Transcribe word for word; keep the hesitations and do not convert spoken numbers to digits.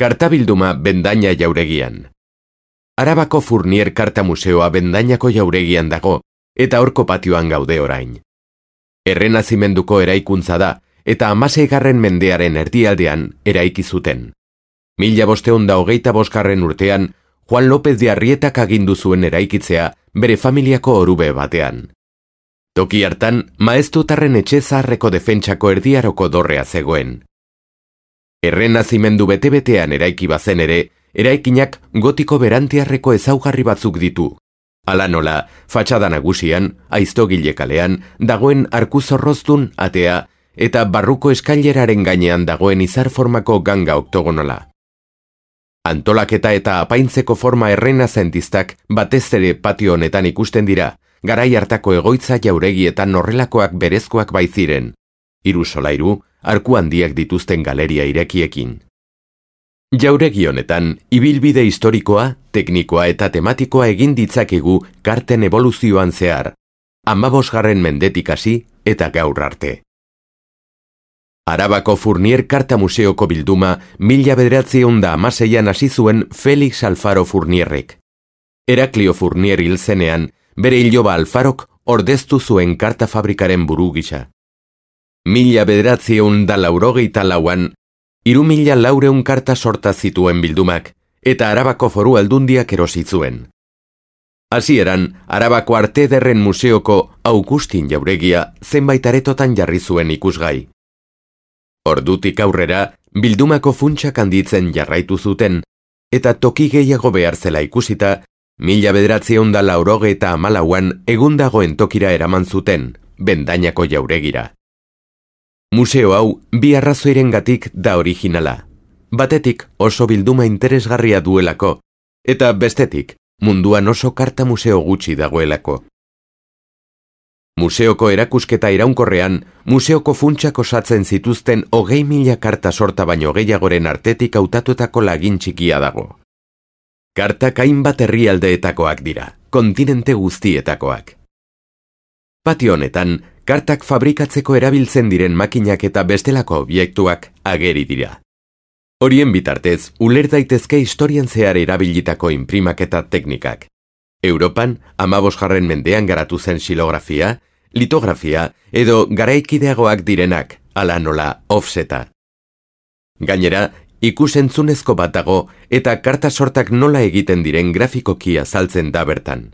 Kartabilduma Bendaña jauregian. Arabako Fournier Karta Museoa Bendañako jauregian dago, eta horko patioan gaude orain. Errenazimenduko eraikuntza da, eta hamaseigarren mendearen erdialdean eraiki zuten. Mila bosteun da hogeita bosgarren urtean, Juan López de Arrietak agindu zuen eraikitzea bere familiako orube batean. Toki hartan, maeztutarren etxe zaharreko defentsako erdiaroko dorrea zegoen. Errenazimendu bete-betean eraiki bazen ere, eraikinak gotiko berantiarreko ezaugarri batzuk ditu. Hala nola, fatxada nagusian, aiztogile kalean, dagoen arkuzorrozdun atea eta barruko eskaileraren gainean dagoen izarformako ganga oktogonala. Antolaketa eta apaintzeko forma errenazentistak batez ere patio honetan ikusten dira, garai hartako egoitza jauregietan horrelakoak berezkoak baiziren. Hiru solairu, arku handiak dituzten galeria irekiekin. Jauregi honetan, ibilbide historikoa, teknikoa eta tematikoa egin ditzakegu karten evoluzioan zehar, hamabosgarren mendetik hasi eta gaur arte. Arabako Fournier Karta Museoko bilduma mila bederatziehun da hamaseian hasi zuen Felix Alfaro Fournierrek. Heraklio Fournier hil zenean, bere iloba Alfarok ordeztu zuen karta fabrikaren buru gisa. Mila bederatziehun da laurogeita lauan, hiru mila laureun karta sorta zituen bildumak, eta Arabako Foru Aldundiak erosi zuen. Hasieran, Arabako Arte Ederren Museoko Augustin jauregia zenbait aretotan jarri zuen ikusgai. Ordutik aurrera, bildumako funtsak handitzen jarraitu zuten, eta toki gehiago behar zela ikusita, mila bederatziehun da laurogeita hamalauan egun dagoen tokira eraman zuten, Bendañako jauregira. Museo hau bi arrazoirengatik da originala. Batetik oso bilduma interesgarria duelako, eta bestetik munduan oso karta museo gutxi dagoelako. Museoko erakusketa iraunkorrean, museoko funtsak osatzen zituzten hogei mila karta sorta baino gehiagoren artetik hautatutako lagin txikia dago. Kartak hainbat herrialdeetakoak dira, kontinente guztietakoak. Patio honetan, kartak fabrikatzeko erabiltzen diren makinak eta bestelako obiektuak ageri dira. Horien bitartez, uler daitezke historian zehar erabilitako inprimak eta teknikak. Europan, hamabosgarren mendean garatu zen xilografia, litografia edo garaikideagoak direnak, hala nola offseta. Gainera, ikusentzunezko bat dago eta karta sortak nola egiten diren grafikoki azaltzen da bertan.